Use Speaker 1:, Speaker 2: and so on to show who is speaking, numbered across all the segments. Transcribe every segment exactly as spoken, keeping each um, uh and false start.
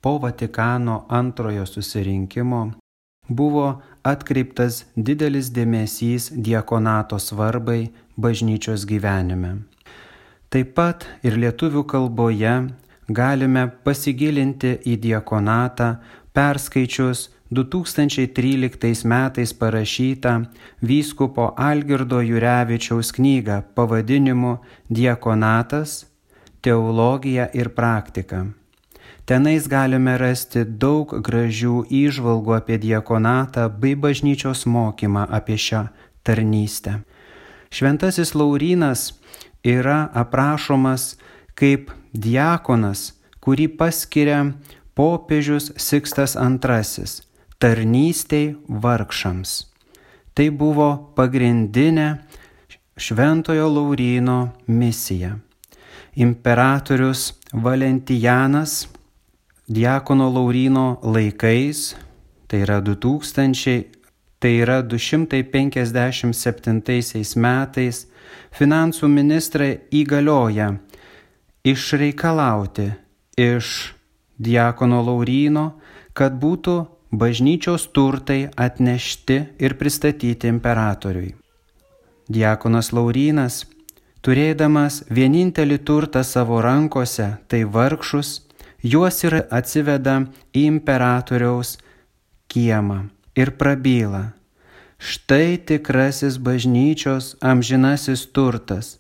Speaker 1: po Vatikano antrojo susirinkimo buvo atkreiptas didelis dėmesys diakonato svarbai bažnyčios gyvenime. Taip pat ir lietuvių kalboje galime pasigilinti į diakonatą perskaičius du tūkstančiai tryliktais metais parašytą vyskupo Algirdo Jurevičiaus knygą pavadinimu Diakonatas, teologija ir praktika. Tenais galime rasti daug gražių įžvalgų apie diakonatą bei bažnyčios mokymą apie šią tarnystę. Šventasis Laurynas yra aprašomas kaip diakonas, kurį paskiria popiežius Sikstas antrasis tarnystei vargšams. Tai buvo pagrindinė Šventojo Lauryno misija. Imperatorius Valentijanas diakono Lauryno laikais, tai yra du tūkstančiai, tai yra du šimtai penkiasdešimt septintaisiais metais, finansų ministrai įgalioja išreikalauti iš diakono Lauryno, kad būtų bažnyčios turtai atnešti ir pristatyti imperatoriui. Diakonas Laurynas, turėdamas vienintelį turtą savo rankose, tai vargšus, juos ir atsiveda į imperatoriaus kiemą ir prabyla: štai tikrasis bažnyčios amžinasis turtas,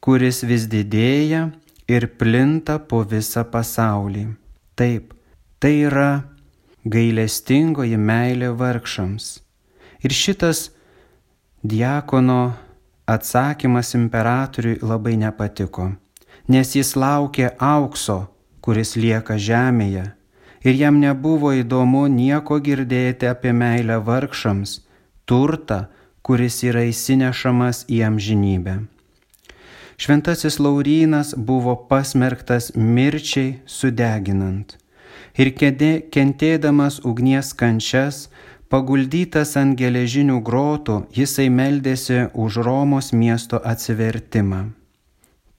Speaker 1: kuris vis didėja ir plinta po visą pasaulį. Taip, tai yra gailestingoji meilė vargšams. Ir šitas diakono atsakymas imperatoriui labai nepatiko, nes jis laukė aukso, kuris lieka žemėje, ir jam nebuvo įdomu nieko girdėti apie meilę vargšams, turtą, kuris yra įsinešamas į amžinybę. Šventasis Laurynas buvo pasmerktas mirčiai sudeginant ir kentėdamas ugnies kančias, paguldytas ant geležinių grotų, jisai meldėsi už Romos miesto atsivertimą.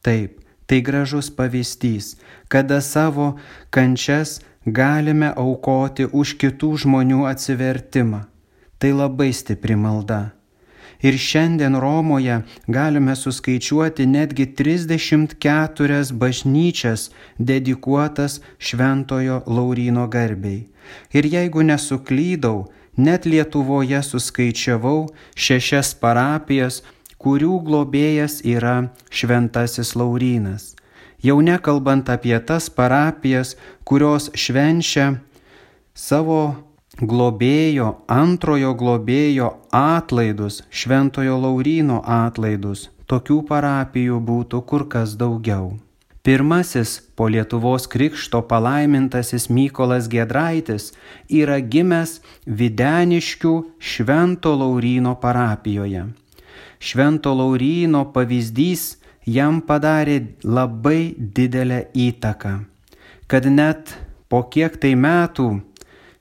Speaker 1: Taip, tai gražus pavyzdys, kada savo kančias galime aukoti už kitų žmonių atsivertimą. Tai labai stipri malda. Ir šiandien Romoje galime suskaičiuoti netgi trisdešimt keturias bažnyčias dedikuotas Šventojo Lauryno garbei. Ir jeigu nesuklydau, net Lietuvoje suskaičiavau šešias parapijas, kurių globėjas yra Šventasis Laurynas. Jau nekalbant apie tas parapijas, kurios švenčia savo globėjo, antrojo globėjo atlaidus, Šventojo Lauryno atlaidus. Tokių parapijų būtų kur kas daugiau. Pirmasis po Lietuvos krikšto palaimintasis Mykolas Giedraitis yra gimęs Videniškių Švento Lauryno parapijoje. Švento Lauryno pavyzdys jam padarė labai didelę įtaką, kad net po kiek tai metų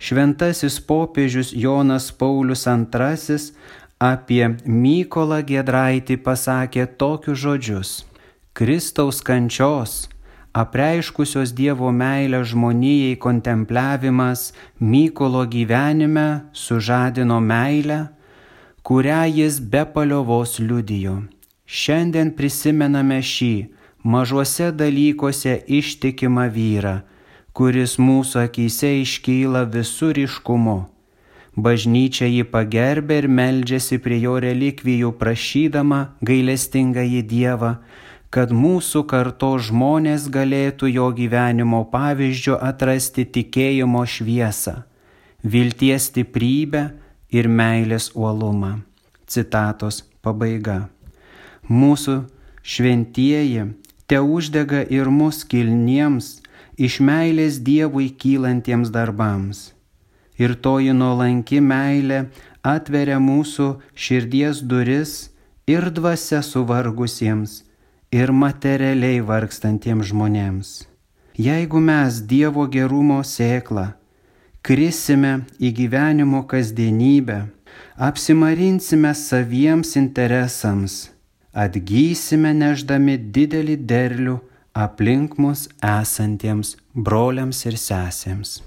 Speaker 1: šventasis popiežius Jonas Paulius antrasis apie Mykolą Giedraitį pasakė tokius žodžius: Kristaus kančios, apreiškusios Dievo meilę žmonijai kontempliavimas Mykolo gyvenime sužadino meilę, kurią jis be paliovos liudijo. Šiandien prisimename šį mažuose dalykuose ištikimą vyrą, kuris mūsų akyse iškyla visų ryškumu. Bažnyčia jį pagerbė ir meldžiasi prie jo relikvijų, prašydama gailestingąjį Dievą, kad mūsų kartos žmonės galėtų jo gyvenimo pavyzdžiu atrasti tikėjimo šviesą, vilties stiprybę ir meilės uolumą. Citatos pabaiga. Mūsų šventieji te uždega ir mus kilniems, iš meilės Dievui kylantiems darbams. Ir toji nuolanki meilė atveria mūsų širdies duris ir dvasia suvargusiems, ir materialiai vargstantiems žmonėms. Jeigu mes Dievo gerumo sėklą krisime į gyvenimo kasdienybę, apsimarinsime saviems interesams, atgysime nešdami didelį derlių aplink mus esantiems broliams ir sesėms.